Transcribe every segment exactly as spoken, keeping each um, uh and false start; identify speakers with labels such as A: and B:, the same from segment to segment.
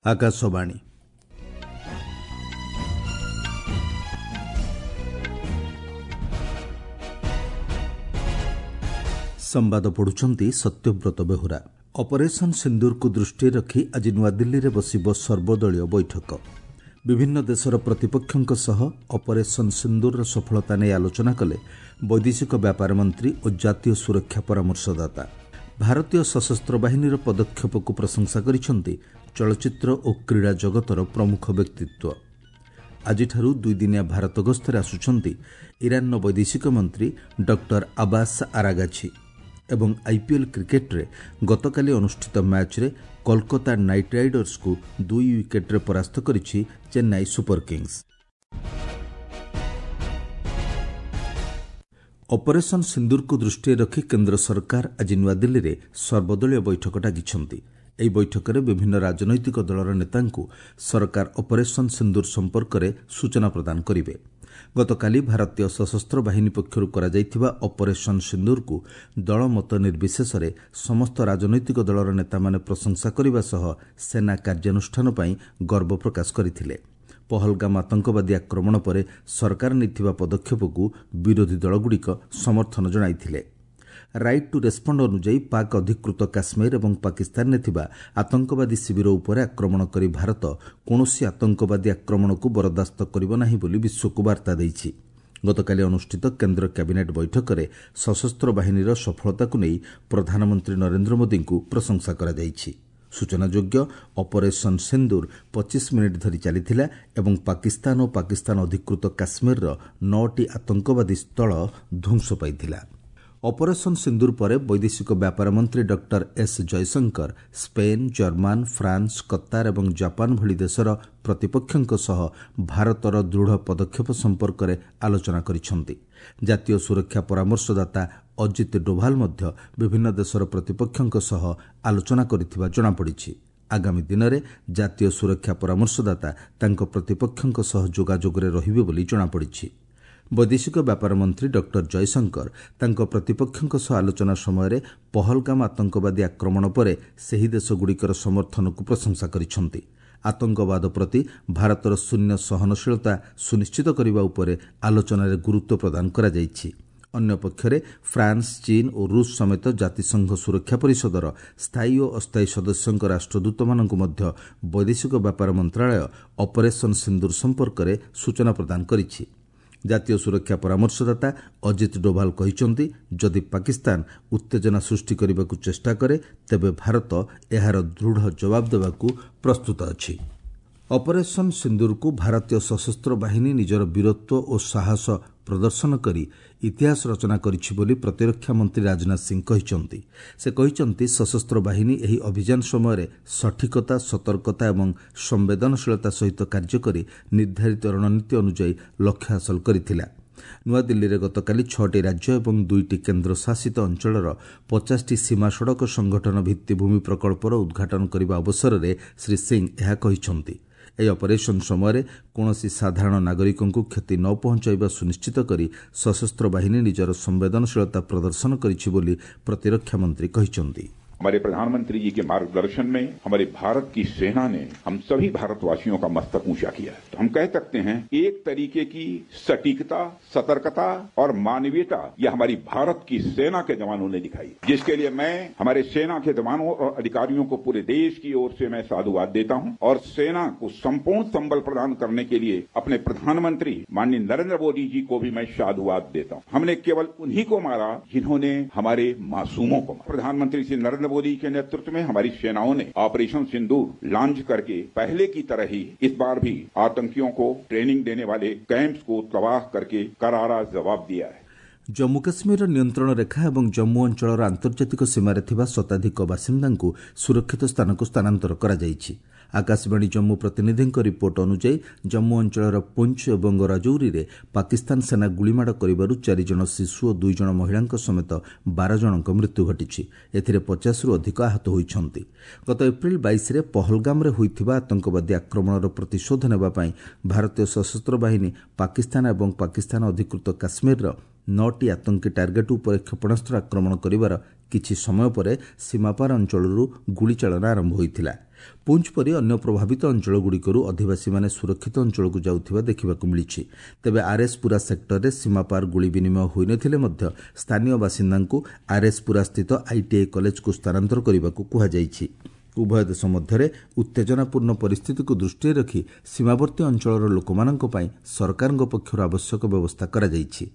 A: ଆକାଶବାଣୀ ସମ୍ବାଦ ପଢୁଛନ୍ତି ସତ୍ୟବ୍ରତ ବେହୁରା। ଅପରେସନ୍ ସିନ୍ଦୁରକୁ ଦୃଷ୍ଟିରେ ରଖି ଆଜି ନୂଆଦିଲ୍ଲୀରେ ବସିବ ସର୍ବଦଳୀୟ ବୈଠକ। ବିଭିନ୍ନ ଦେଶର ପ୍ରତିପକ୍ଷଙ୍କ ସହ ଅପରେସନ୍ ସିନ୍ଦୁରର ସଫଳତା ନେଇ ଆଲୋଚନା କଲେ ବୈଦେଶିକ ବ୍ୟାପାର ମନ୍ତ୍ରୀ ଓ ଜାତୀୟ ସୁରକ୍ଷା ପରାମର୍ଶଦାତା। ଭାରତୀୟ ସଶସ୍ତ୍ର ବାହିନୀର ପଦକ୍ଷେପକୁ ପ୍ରଶଂସା କରିଛନ୍ତି ଚଳଚ୍ଚିତ୍ର ଓ କ୍ରୀଡ଼ା ଜଗତର ପ୍ରମୁଖ ବ୍ୟକ୍ତିତ୍ୱ। ଆଜିଠାରୁ ଦୁଇଦିନିଆ ଭାରତ ଗସ୍ତରେ ଆସୁଛନ୍ତି ଇରାନର ବୈଦେଶିକ ମନ୍ତ୍ରୀ ଡକ୍ଟର ଆବାସ ଆରାଗାଛି। ଏବଂ ଆଇପିଏଲ୍ କ୍ରିକେଟ୍ରେ ଗତକାଲି ଅନୁଷ୍ଠିତ ମ୍ୟାଚ୍ରେ କୋଲକାତା ନାଇଟ୍ ରାଇଡର୍ସକୁ ଦୁଇ ୱିକେଟ୍ରେ ପରାସ୍ତ କରିଛି ଚେନ୍ନାଇ ସୁପର କିଙ୍ଗସ୍। ଅପରେସନ୍ ସିନ୍ଦୁରକୁ ଦୃଷ୍ଟିରେ ରଖି କେନ୍ଦ୍ର ସରକାର ଆଜି ନୂଆଦିଲ୍ଲୀରେ ସର୍ବଦଳୀୟ ବୈଠକ ଡାକିଛନ୍ତି। ଏହି ବୈଠକରେ ବିଭିନ୍ନ ରାଜନୈତିକ ଦଳର ନେତାଙ୍କୁ ସରକାର ଅପରେସନ୍ ସିନ୍ଦୁର ସମ୍ପର୍କରେ ସୂଚନା ପ୍ରଦାନ କରିବେ। ଗତକାଲି ଭାରତୀୟ ସଶସ୍ତ୍ର ବାହିନୀ ପକ୍ଷରୁ କରାଯାଇଥିବା ଅପରେସନ୍ ସିନ୍ଦୁରକୁ ଦଳମତ ନିର୍ବିଶେଷରେ ସମସ୍ତ ରାଜନୈତିକ ଦଳର ନେତାମାନେ ପ୍ରଶଂସା କରିବା ସହ ସେନା କାର୍ଯ୍ୟାନୁଷ୍ଠାନ ପାଇଁ ଗର୍ବ ପ୍ରକାଶ କରିଥିଲେ। ପହଲଗାମ ଆତଙ୍କବାଦୀ ଆକ୍ରମଣ ପରେ ସରକାର ନେଇଥିବା ପଦକ୍ଷେପକୁ ବିରୋଧୀ ଦଳଗୁଡ଼ିକ ସମର୍ଥନ ଜଣାଇଥିଲେ। ରାଇଟ୍ ଟୁ ରେସ୍ପଣ୍ଡ ଅନୁଯାୟୀ ପାକ୍ ଅଧିକୃତ କାଶ୍ମୀର ଏବଂ ପାକିସ୍ତାନରେ ଥିବା ଆତଙ୍କବାଦୀ ଶିବିର ଉପରେ ଆକ୍ରମଣ କରି ଭାରତ କୌଣସି ଆତଙ୍କବାଦୀ ଆକ୍ରମଣକୁ ବରଦାସ୍ତ କରିବ ନାହିଁ ବୋଲି ବିଶ୍ୱକୁ ବାର୍ତ୍ତା ଦେଇଛି। ଗତକାଲି ଅନୁଷ୍ଠିତ କେନ୍ଦ୍ର କ୍ୟାବିନେଟ୍ ବୈଠକରେ ସଶସ୍ତ୍ର ବାହିନୀର ସଫଳତାକୁ ନେଇ ପ୍ରଧାନମନ୍ତ୍ରୀ ନରେନ୍ଦ୍ର ମୋଦିଙ୍କୁ ପ୍ରଶଂସା କରାଯାଇଛି। ସୂଚନାଯୋଗ୍ୟ, ଅପରେସନ୍ ସିନ୍ଦୁର ପଚିଶ ମିନିଟ୍ ଧରି ଚାଲିଥିଲା ଏବଂ ପାକିସ୍ତାନ ଓ ପାକିସ୍ତାନ ଅଧିକୃତ କାଶ୍ମୀରର ନଅଟି ଆତଙ୍କବାଦୀ ସ୍ଥଳ ଧ୍ୱଂସ ପାଇଥିଲା। ଅପରେସନ୍ ସିନ୍ଦୁର ପରେ ବୈଦେଶିକ ବ୍ୟାପାର ମନ୍ତ୍ରୀ doctor S Jaishankar Spain, German, France, Qatar ଏବଂ ଜାପାନ ଭଳି ଦେଶର ପ୍ରତିପକ୍ଷଙ୍କ ସହ ଭାରତର ଦୃଢ଼ ପଦକ୍ଷେପ ସମ୍ପର୍କରେ ଆଲୋଚନା କରିଛନ୍ତି। ଜାତୀୟ ସୁରକ୍ଷା ପରାମର୍ଶଦାତା ଅଜିତ ଡୋଭାଲ ମଧ୍ୟ ବିଭିନ୍ନ ଦେଶର ପ୍ରତିପକ୍ଷଙ୍କ ସହ ଆଲୋଚନା କରିଥିବା ଜଣାପଡ଼ିଛି। ଆଗାମୀ ଦିନରେ ଜାତୀୟ ସୁରକ୍ଷା ପରାମର୍ଶଦାତା ତାଙ୍କ ପ୍ରତିପକ୍ଷଙ୍କ ସହ ଯୋଗାଯୋଗରେ ରହିବେ ବୋଲି ଜଣାପଡ଼ିଛି। ବୈଦେଶିକ ବ୍ୟାପାର ମନ୍ତ୍ରୀ ଡକ୍ଟର ଜୟଶଙ୍କର ତାଙ୍କ ପ୍ରତିପକ୍ଷଙ୍କ ସହ ଆଲୋଚନା ସମୟରେ ପହଲଗାମ ଆତଙ୍କବାଦୀ ଆକ୍ରମଣ ପରେ ସେହି ଦେଶଗୁଡ଼ିକର ସମର୍ଥନକୁ ପ୍ରଶଂସା କରିଛନ୍ତି। ଆତଙ୍କବାଦ ପ୍ରତି ଭାରତର ଶୂନ୍ୟ ସହନଶୀଳତା ସୁନିଶ୍ଚିତ କରିବା ଉପରେ ଆଲୋଚନାରେ ଗୁରୁତ୍ୱ ପ୍ରଦାନ କରାଯାଇଛି। ଅନ୍ୟପକ୍ଷରେ ଫ୍ରାନ୍ସ, ଚୀନ ଓ ରୁଷ ସମେତ ଜାତିସଂଘ ସୁରକ୍ଷା ପରିଷଦର ସ୍ଥାୟୀ ଓ ଅସ୍ଥାୟୀ ସଦସ୍ୟଙ୍କ ରାଷ୍ଟ୍ରଦୂତମାନଙ୍କୁ ମଧ୍ୟ ବୈଦେଶିକ ବ୍ୟାପାର ମନ୍ତ୍ରଣାଳୟ ଅପରେସନ୍ ସିନ୍ଦୁର ସମ୍ପର୍କରେ ସୂଚନା ପ୍ରଦାନ କରିଛି। ଜାତୀୟ ସୁରକ୍ଷା ପରାମର୍ଶଦାତା ଅଜିତ ଡୋଭାଲ କହିଛନ୍ତି, ଯଦି ପାକିସ୍ତାନ ଉତ୍ତେଜନା ସୃଷ୍ଟି କରିବାକୁ ଚେଷ୍ଟା କରେ ତେବେ ଭାରତ ଏହାର ଦୃଢ଼ ଜବାବ ଦେବାକୁ ପ୍ରସ୍ତୁତ ଅଛି। ଅପରେସନ୍ ସିନ୍ଦୁରକୁ ଭାରତୀୟ ସଶସ୍ତ୍ର ବାହିନୀ ନିଜର ବୀରତ୍ୱ ଓ ସାହସ ପ୍ରଦର୍ଶନ କରି ଇତିହାସ ରଚନା କରିଛି ବୋଲି ପ୍ରତିରକ୍ଷା ମନ୍ତ୍ରୀ ରାଜନାଥ ସିଂ କହିଛନ୍ତି। ସେ କହିଛନ୍ତି, ସଶସ୍ତ୍ର ବାହିନୀ ଏହି ଅଭିଯାନ ସମୟରେ ସଠିକତା, ସତର୍କତା ଏବଂ ସମ୍ବେଦନଶୀଳତା ସହିତ କାର୍ଯ୍ୟ କରି ନିର୍ଦ୍ଧାରିତ ରଣନୀତି ଅନୁଯାୟୀ ଲକ୍ଷ୍ୟ ହାସଲ କରିଥିଲା। ନୂଆଦିଲ୍ଲୀରେ ଗତକାଲି ଛଅଟି ରାଜ୍ୟ ଏବଂ ଦୁଇଟି କେନ୍ଦ୍ରଶାସିତ ଅଞ୍ଚଳର ପଚାଶଟି ସୀମା ସଡ଼କ ସଂଗଠନ ଭିତ୍ତିଭୂମି ପ୍ରକଳ୍ପର ଉଦ୍ଘାଟନ କରିବା ଅବସରରେ ଶ୍ରୀ ସିଂ ଏହା କହିଛନ୍ତି। ଏହି ଅପରେସନ୍ ସମୟରେ କୌଣସି ସାଧାରଣ ନାଗରିକଙ୍କୁ କ୍ଷତି ନ ପହଞ୍ଚାଇବା ସୁନିଶ୍ଚିତ କରି ସଶସ୍ତ୍ର ବାହିନୀ ନିଜର ସମ୍ବେଦନଶୀଳତା ପ୍ରଦର୍ଶନ କରିଛି ବୋଲି ପ୍ରତିରକ୍ଷା ମନ୍ତ୍ରୀ କହିଛନ୍ତି।
B: हमारे प्रधानमंत्री जी के मार्गदर्शन में हमारे भारत की सेना ने हम सभी भारतवासियों का मस्तक ऊंचा किया है। तो हम कह सकते हैं एक तरीके की सटीकता, सतर्कता और मानवीयता यह हमारी भारत की सेना के जवानों ने दिखाई, जिसके लिए मैं हमारे सेना के जवानों और अधिकारियों को पूरे देश की ओर से मैं साधुवाद देता हूं और सेना को संपूर्ण संबल प्रदान करने के लिए अपने प्रधानमंत्री माननीय नरेंद्र मोदी जी को भी मैं साधुवाद देता हूं। हमने केवल उन्हीं को मारा जिन्होंने हमारे मासूमों को मारा। प्रधानमंत्री श्री नरेंद्र मोदी के नेतृत्व में हमारी सेनाओं ने ऑपरेशन सिंदूर लॉन्च करके पहले की तरह ही इस बार भी आतंकियों को ट्रेनिंग देने वाले कैंप्स को तबाह करके करारा जवाब दिया है।
A: ଜମ୍ମୁ କାଶ୍ମୀରର ନିୟନ୍ତ୍ରଣ ରେଖା ଏବଂ ଜମ୍ମୁ ଅଞ୍ଚଳର ଆନ୍ତର୍ଜାତିକ ସୀମାରେ ଥିବା ଶତାଧିକ ବାସିନ୍ଦାଙ୍କୁ ସୁରକ୍ଷିତ ସ୍ଥାନକୁ ସ୍ଥାନାନ୍ତର କରାଯାଇଛି। ଆକାଶବାଣୀ ଜମ୍ମୁ ପ୍ରତିନିଧିଙ୍କ ରିପୋର୍ଟ ଅନୁଯାୟୀ ଜମ୍ମୁ ଅଞ୍ଚଳର ପୁଞ୍ଚ ଏବଂ ରାଜୌରୀରେ ପାକିସ୍ତାନ ସେନା ଗୁଳିମାଡ଼ କରିବାରୁ ଚାରିଜଣ ଶିଶୁ ଓ ଦୁଇଜଣ ମହିଳାଙ୍କ ସମେତ ବାର ଜଣଙ୍କ ମୃତ୍ୟୁ ଘଟିଛି। ଏଥିରେ ପଚାଶରୁ ଅଧିକ ଆହତ ହୋଇଛନ୍ତି। ଗତ ଏପ୍ରିଲ ବାଇଶରେ ପହଲଗାମରେ ହୋଇଥିବା ଆତଙ୍କବାଦୀ ଆକ୍ରମଣର ପ୍ରତିଶୋଧ ନେବା ପାଇଁ ଭାରତୀୟ ସଶସ୍ତ୍ର ବାହିନୀ ପାକିସ୍ତାନ ଏବଂ ପାକିସ୍ତାନ ଅଧିକୃତ କାଶ୍ମୀରର ନଅଟି ଆତଙ୍କୀ ଟାର୍ଗେଟ୍ ଉପରେ କ୍ଷେପଣାସ୍ତ୍ର ଆକ୍ରମଣ କରିବାର କିଛି ସମୟ ପରେ ସୀମାପାର ଅଞ୍ଚଳରୁ ଗୁଳିଚାଳନା ଆରମ୍ଭ ହୋଇଥିଲା। ପୁଞ୍ଚ ପରି ଅନ୍ୟ ପ୍ରଭାବିତ ଅଞ୍ଚଳଗୁଡ଼ିକରୁ ଅଧିବାସୀମାନେ ସୁରକ୍ଷିତ ଅଞ୍ଚଳକୁ ଯାଉଥିବା ଦେଖିବାକୁ ମିଳିଛି। ତେବେ ଆର୍ଏସ୍ପୁରା ସେକ୍ଟରରେ ସୀମାପାର ଗୁଳି ବିନିମୟ ହୋଇନଥିଲେ ମଧ୍ୟ ସ୍ଥାନୀୟ ବାସିନ୍ଦାଙ୍କୁ ଆର୍ଏସ୍ପୁରା ସ୍ଥିତ ଆଇଟିଆଇ କଲେଜକୁ ସ୍ଥାନାନ୍ତର କରିବାକୁ କୁହାଯାଇଛି। ଉଭୟ ଦେଶ ମଧ୍ୟରେ ଉତ୍ତେଜନାପୂର୍ଣ୍ଣ ପରିସ୍ଥିତିକୁ ଦୃଷ୍ଟିରେ ରଖି ସୀମାବର୍ତ୍ତୀ ଅଞ୍ଚଳର ଲୋକମାନଙ୍କ ପାଇଁ ସରକାରଙ୍କ ପକ୍ଷରୁ ଆବଶ୍ୟକ ବ୍ୟବସ୍ଥା କରାଯାଇଛି।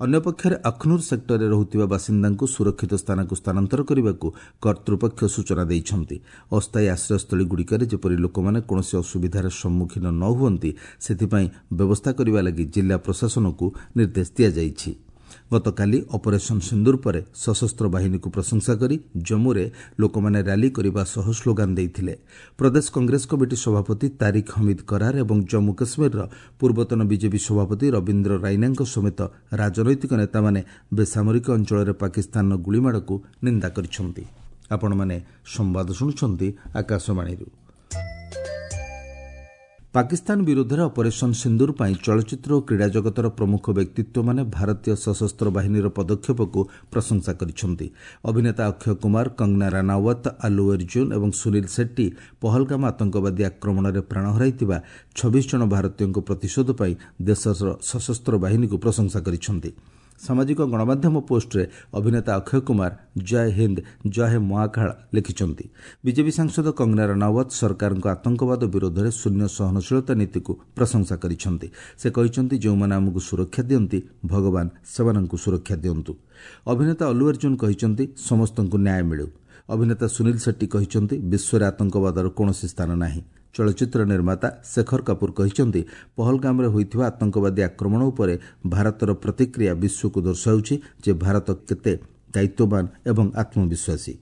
A: ଅନ୍ୟପକ୍ଷରେ ଅଖନୁର ସେକ୍ଟରରେ ରହୁଥିବା ବାସିନ୍ଦାଙ୍କୁ ସୁରକ୍ଷିତ ସ୍ଥାନକୁ ସ୍ଥାନାନ୍ତର କରିବାକୁ କର୍ତ୍ତୃପକ୍ଷ ସୂଚନା ଦେଇଛନ୍ତି। ଅସ୍ଥାୟୀ ଆଶ୍ରୟସ୍ଥଳୀଗୁଡ଼ିକରେ ଯେପରି ଲୋକମାନେ କୌଣସି ଅସୁବିଧାର ସମ୍ମୁଖୀନ ନ ହୁଅନ୍ତି, ସେଥିପାଇଁ ବ୍ୟବସ୍ଥା କରିବା ଲାଗି ଜିଲ୍ଲା ପ୍ରଶାସନକୁ ନିର୍ଦ୍ଦେଶ ଦିଆଯାଇଛି। ଗତକାଲି ଅପରେସନ୍ ସିନ୍ଦୁର ପରେ ସଶସ୍ତ୍ର ବାହିନୀକୁ ପ୍ରଶଂସା କରି ଜମ୍ମୁରେ ଲୋକମାନେ ର୍ୟାଲି କରିବା ସହ ସ୍ଲୋଗାନ ଦେଇଥିଲେ। ପ୍ରଦେଶ କଂଗ୍ରେସ କମିଟି ସଭାପତି ତାରିକ ହମିଦ କରାର ଏବଂ ଜମ୍ମୁ କାଶ୍ମୀରର ପୂର୍ବତନ ବିଜେପି ସଭାପତି ରବୀନ୍ଦ୍ର ରାଇନାଙ୍କ ସମେତ ରାଜନୈତିକ ନେତାମାନେ ବେସାମରିକ ଅଞ୍ଚଳରେ ପାକିସ୍ତାନର ଗୁଳିମାଡ଼କୁ ନିନ୍ଦା କରିଛନ୍ତି। ଆପଣମାନେ ସମ୍ବାଦ ଶୁଣୁଛନ୍ତି ଆକାଶବାଣୀରୁ। ପାକିସ୍ତାନ ବିରୋଧରେ ଅପରେସନ୍ ସିନ୍ଦୁର ପାଇଁ ଚଳଚ୍ଚିତ୍ର ଓ କ୍ରୀଡ଼ା ଜଗତର ପ୍ରମୁଖ ବ୍ୟକ୍ତିତ୍ୱମାନେ ଭାରତୀୟ ସଶସ୍ତ୍ର ବାହିନୀର ପଦକ୍ଷେପକୁ ପ୍ରଶଂସା କରିଛନ୍ତି। ଅଭିନେତା ଅକ୍ଷୟ କୁମାର, କଙ୍ଗନା ରାନାୱତ, ଆଲ୍ଲୁ ଅର୍ଜୁନ ଏବଂ ସୁନୀଲ ସେଟ୍ଟି ପହଲଗାମ ଆତଙ୍କବାଦୀ ଆକ୍ରମଣରେ ପ୍ରାଣ ହରାଇଥିବା ଛବିଶ ଜଣ ଭାରତୀୟଙ୍କ ପ୍ରତିଶୋଧ ପାଇଁ ଦେଶର ସଶସ୍ତ୍ର ବାହିନୀକୁ ପ୍ରଶଂସା କରିଛନ୍ତି। ସାମାଜିକ ଗଣମାଧ୍ୟମ ପୋଷ୍ଟରେ ଅଭିନେତା ଅକ୍ଷୟ କୁମାର ଜୟ ହିନ୍ଦ, ଜୟ ହେ ମହାକାଳ ଲେଖିଛନ୍ତି। ବିଜେପି ସାଂସଦ କଙ୍ଗନା ରଣାୱତ ସରକାରଙ୍କ ଆତଙ୍କବାଦ ବିରୋଧରେ ଶୂନ୍ୟ ସହନଶୀଳତା ନୀତିକୁ ପ୍ରଶଂସା କରିଛନ୍ତି। ସେ କହିଛନ୍ତି, ଯେଉଁମାନେ ଆମକୁ ସୁରକ୍ଷା ଦିଅନ୍ତି, ଭଗବାନ ସେମାନଙ୍କୁ ସୁରକ୍ଷା ଦିଅନ୍ତୁ। ଅଭିନେତା ଅଲ୍ଲୁ ଅର୍ଜୁନ କହିଛନ୍ତି, ସମସ୍ତଙ୍କୁ ନ୍ୟାୟ ମିଳୁ। ଅଭିନେତା ସୁନୀଲ ସେଟ୍ଟି କହିଛନ୍ତି, ବିଶ୍ୱରେ ଆତଙ୍କବାଦର କୌଣସି ସ୍ଥାନ ନାହିଁ। ଚଳଚ୍ଚିତ୍ର ନିର୍ମାତା ଶେଖର କାପୁର କହିଛନ୍ତି, ପହଲଗାମରେ ହୋଇଥିବା ଆତଙ୍କବାଦୀ ଆକ୍ରମଣ ଉପରେ ଭାରତର ପ୍ରତିକ୍ରିୟା ବିଶ୍ୱକୁ ଦର୍ଶାଉଛି ଯେ ଭାରତ କେତେ ଦାୟିତ୍ୱବାନ ଏବଂ ଆତ୍ମବିଶ୍ୱାସୀ।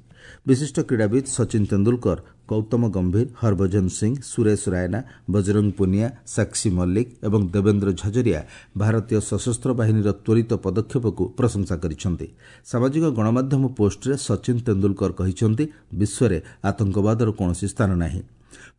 A: ବିଶିଷ୍ଟ କ୍ରୀଡ଼ାବିତ୍ ସଚିନ ତେନ୍ଦୁଲକର, ଗୌତମ ଗମ୍ଭୀର, ହରଭଜନ ସିଂ, ସୁରେଶ ରାଇନା, ବଜରଙ୍ଗ ପୁନିଆ, ସାକ୍ଷୀ ମଲ୍ଲିକ ଏବଂ ଦେବେନ୍ଦ୍ର ଝାଜରିଆ ଭାରତୀୟ ସଶସ୍ତ୍ର ବାହିନୀର ତ୍ୱରିତ ପଦକ୍ଷେପକୁ ପ୍ରଶଂସା କରିଛନ୍ତି। ସାମାଜିକ ଗଣମାଧ୍ୟମ ପୋଷ୍ଟରେ ସଚିନ ତେନ୍ଦୁଲକର କହିଛନ୍ତି, ବିଶ୍ୱରେ ଆତଙ୍କବାଦର କୌଣସି ସ୍ଥାନ ନାହିଁ।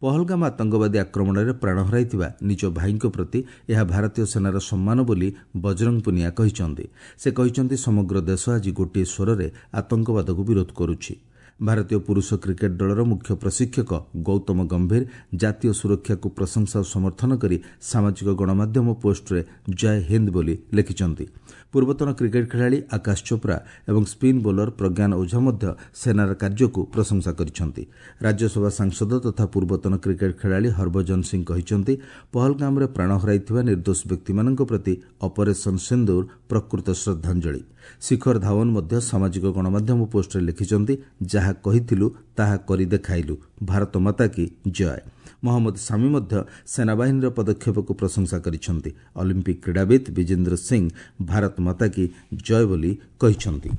A: ପହଲଗାମ ଆତଙ୍କବାଦୀ ଆକ୍ରମଣରେ ପ୍ରାଣ ହରାଇଥିବା ନିଜ ଭାଇଙ୍କ ପ୍ରତି ଏହା ଭାରତୀୟ ସେନାର ସମ୍ମାନ ବୋଲି ବଜରଙ୍ଗ ପୁନିଆ କହିଛନ୍ତି। ସେ କହିଛନ୍ତି, ସମଗ୍ର ଦେଶ ଆଜି ଗୋଟିଏ ସ୍ୱରରେ ଆତଙ୍କବାଦକୁ ବିରୋଧ କରୁଛି। ଭାରତୀୟ ପୁରୁଷ କ୍ରିକେଟ୍ ଦଳର ମୁଖ୍ୟ ପ୍ରଶିକ୍ଷକ ଗୌତମ ଗମ୍ଭୀର ଜାତୀୟ ସୁରକ୍ଷାକୁ ପ୍ରଶଂସା ଓ ସମର୍ଥନ କରି ସାମାଜିକ ଗଣମାଧ୍ୟମ ପୋଷ୍ଟରେ ଜୟ ହିନ୍ଦ ବୋଲି ଲେଖିଛନ୍ତି। ପୂର୍ବତନ କ୍ରିକେଟ୍ ଖେଳାଳି ଆକାଶ ଚୋପ୍ରା ଏବଂ ସ୍ପିନ୍ ବୋଲର ପ୍ରଜ୍ଞାନ ଓଝା ମଧ୍ୟ ସେନାର କାର୍ଯ୍ୟକୁ ପ୍ରଶଂସା କରିଛନ୍ତି। ରାଜ୍ୟସଭା ସାଂସଦ ତଥା ପୂର୍ବତନ କ୍ରିକେଟ୍ ଖେଳାଳି ହରଭଜନ ସିଂ କହିଛନ୍ତି, ପହଲଗାମରେ ପ୍ରାଣ ହରାଇଥିବା ନିର୍ଦ୍ଦୋଷ ବ୍ୟକ୍ତିମାନଙ୍କ ପ୍ରତି ଅପରେସନ୍ ସିନ୍ଦୁର ପ୍ରକୃତ ଶ୍ରଦ୍ଧାଞ୍ଜଳି। ଶିଖର ଧାୱନ ମଧ୍ୟ ସାମାଜିକ ଗଣମାଧ୍ୟମ ପୋଷ୍ଟରେ ଲେଖିଛନ୍ତି, ଯାହା କହିଥିଲୁ ତାହା କରି ଦେଖାଇଲୁ, ଭାରତ ମାତା କି ଜୟ। ମହମ୍ମଦ ସାମି ମଧ୍ୟ ସେନାବାହିନୀର ପଦକ୍ଷେପକୁ ପ୍ରଶଂସା କରିଛନ୍ତି। ଅଲିମ୍ପିକ୍ କ୍ରୀଡ଼ାବିତ୍ ବିଜେନ୍ଦ୍ର ସିଂ ଭାରତ ମାତା କି ଜୟ ବୋଲି କହିଛନ୍ତି।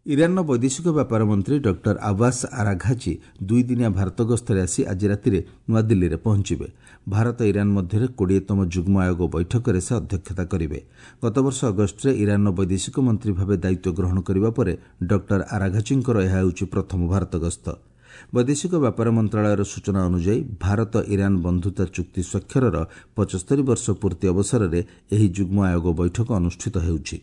A: ଇରାନର ବୈଦେଶିକ ବ୍ୟାପାର ମନ୍ତ୍ରୀ ଡକ୍ଟର ଆବାସ ଆରାଘାଚି ଦୁଇଦିନିଆ ଭାରତ ଗସ୍ତରେ ଆସି ଆଜି ରାତିରେ ନୂଆଦିଲ୍ଲୀରେ ପହଞ୍ଚିବେ। ଭାରତ ଇରାନ ମଧ୍ୟରେ କୋଡ଼ିଏତମ ଯୁଗ୍ମ ଆୟୋଗ ବୈଠକରେ ସେ ଅଧ୍ୟକ୍ଷତା କରିବେ। ଗତବର୍ଷ ଅଗଷ୍ଟରେ ଇରାନର ବୈଦେଶିକ ମନ୍ତ୍ରୀ ଭାବେ ଦାୟିତ୍ୱ ଗ୍ରହଣ କରିବା ପରେ ଡକ୍ଟର ଆରାଘାଚିଙ୍କର ଏହା ହେଉଛି ପ୍ରଥମ ଭାରତ ଗସ୍ତ। ବୈଦେଶିକ ବ୍ୟାପାର ମନ୍ତ୍ରଣାଳୟର ସୂଚନା ଅନୁଯାୟୀ ଭାରତ ଇରାନ ବନ୍ଧୁତା ଚୁକ୍ତି ସ୍ୱାକ୍ଷରର ପଞ୍ଚସ୍ତରୀ ବର୍ଷ ପୂର୍ତ୍ତି ଅବସରରେ ଏହି ଯୁଗ୍ମ ଆୟୋଗ ବୈଠକ ଅନୁଷ୍ଠିତ ହେଉଛି।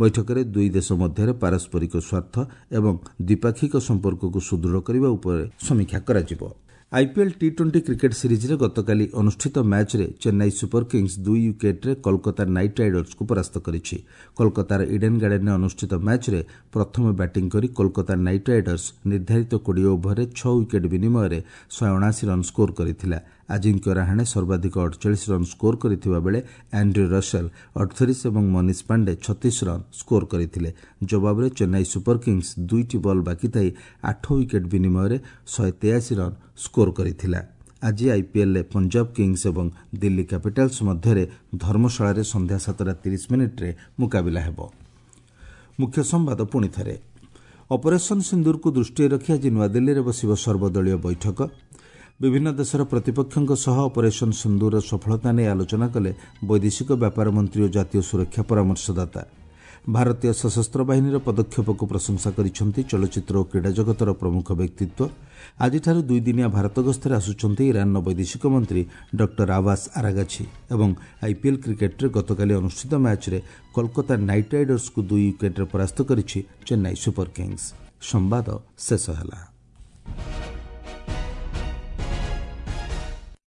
A: ବୈଠକରେ ଦୁଇ ଦେଶ ମଧ୍ୟରେ ପାରସ୍ପରିକ ସ୍ୱାର୍ଥ ଏବଂ ଦ୍ୱିପାକ୍ଷିକ ସମ୍ପର୍କକୁ ସୁଦୃଢ଼ କରିବା ଉପରେ ସମୀକ୍ଷା କରାଯିବ। ଆଇପିଏଲ୍ ଟି ଟ୍ୱେଣ୍ଟି କ୍ରିକେଟ୍ ସିରିଜ୍ରେ ଗତକାଲି ଅନୁଷ୍ଠିତ ମ୍ୟାଚ୍ରେ ଚେନ୍ନାଇ ସୁପର କିଙ୍ଗସ୍ ଦୁଇ ୱିକେଟ୍ରେ କୋଲକାତା ନାଇଟ୍ ରାଇଡର୍ସକୁ ପରାସ୍ତ କରିଛି। କୋଲକାତାର ଇଡେନ୍ ଗାର୍ଡେନ୍ରେ ଅନୁଷ୍ଠିତ ମ୍ୟାଚ୍ରେ ପ୍ରଥମେ ବ୍ୟାଟିଂ କରି କୋଲକାତା ନାଇଟ୍ ରାଇଡର୍ସ ନିର୍ଦ୍ଧାରିତ କୋଡ଼ିଏ ଓଭରରେ ଛଅ ୱିକେଟ୍ ବିନିମୟରେ ଶହେ ଅଣାଅଶୀ ରନ୍ ସ୍କୋର କରିଥିଲା। ଆଜିଙ୍କ୍ୟ ରାହାଣେ ସର୍ବାଧିକ ଅଠଚାଳିଶ ରନ୍ ସ୍କୋର କରିଥିବା ବେଳେ ଆଣ୍ଡ୍ର୍ୟୁ ରସେଲ ଅଠତିରିଶ ଏବଂ ମନୀଷ ପାଣ୍ଡେ ଛତିଶ ରନ୍ ସ୍କୋର କରିଥିଲେ। ଜବାବରେ ଚେନ୍ନାଇ ସୁପର କିଙ୍ଗସ୍ ଦୁଇଟି ବଲ୍ ବାକି ଥାଇ ଆଠ ୱିକେଟ୍ ବିନିମୟରେ ଶହେ ତେୟାଅଶୀ ରନ୍ ସ୍କୋର କରିଥିଲା। ଆଜି ଆଇପିଏଲ୍ରେ ପଞ୍ଜାବ କିଙ୍ଗସ୍ ଏବଂ ଦିଲ୍ଲୀ କ୍ୟାପିଟାଲ୍ସ ମଧ୍ୟରେ ଧର୍ମଶାଳାରେ ସନ୍ଧ୍ୟା ସାତଟା ତିରିଶ ମିନିଟ୍ରେ ମୁକାବିଲା ହେବ। ମୁଖ୍ୟ ସମ୍ବାଦ ପୁଣି ଥରେ, ଅପରେସନ୍ ସିନ୍ଦୁରକୁ ଦୃଷ୍ଟିରେ ରଖି ଆଜି ନୂଆଦିଲ୍ଲୀରେ ବସିବ ସର୍ବଦଳୀୟ ବୈଠକ। ବିଭିନ୍ନ ଦେଶର ପ୍ରତିପକ୍ଷଙ୍କ ସହ ଅପରେସନ୍ ସିନ୍ଦୁରର ସଫଳତା ନେଇ ଆଲୋଚନା କଲେ ବୈଦେଶିକ ବ୍ୟାପାର ମନ୍ତ୍ରୀ ଓ ଜାତୀୟ ସୁରକ୍ଷା ପରାମର୍ଶଦାତା। ଭାରତୀୟ ସଶସ୍ତ୍ର ବାହିନୀର ପଦକ୍ଷେପକୁ ପ୍ରଶଂସା କରିଛନ୍ତି ଚଳଚ୍ଚିତ୍ର ଓ କ୍ରୀଡ଼ା ଜଗତର ପ୍ରମୁଖ ବ୍ୟକ୍ତିତ୍ୱ। ଆଜିଠାରୁ ଦୁଇଦିନିଆ ଭାରତ ଗସ୍ତରେ ଆସୁଛନ୍ତି ଇରାନର ବୈଦେଶିକ ମନ୍ତ୍ରୀ ଡକ୍ଟର ଆବାସ ଆରାଗାଛି। ଏବଂ ଆଇପିଏଲ୍ କ୍ରିକେଟ୍ରେ ଗତକାଲି ଅନୁଷ୍ଠିତ ମ୍ୟାଚ୍ରେ କୋଲକାତା ନାଇଟ୍ ରାଇଡର୍ସକୁ ଦୁଇ ୱିକେଟ୍ରେ ପରାସ୍ତ କରିଛି ଚେନ୍ନାଇ ସୁପର କିଙ୍ଗସ୍। ସମ୍ବାଦ ଶେଷ ହେଲା।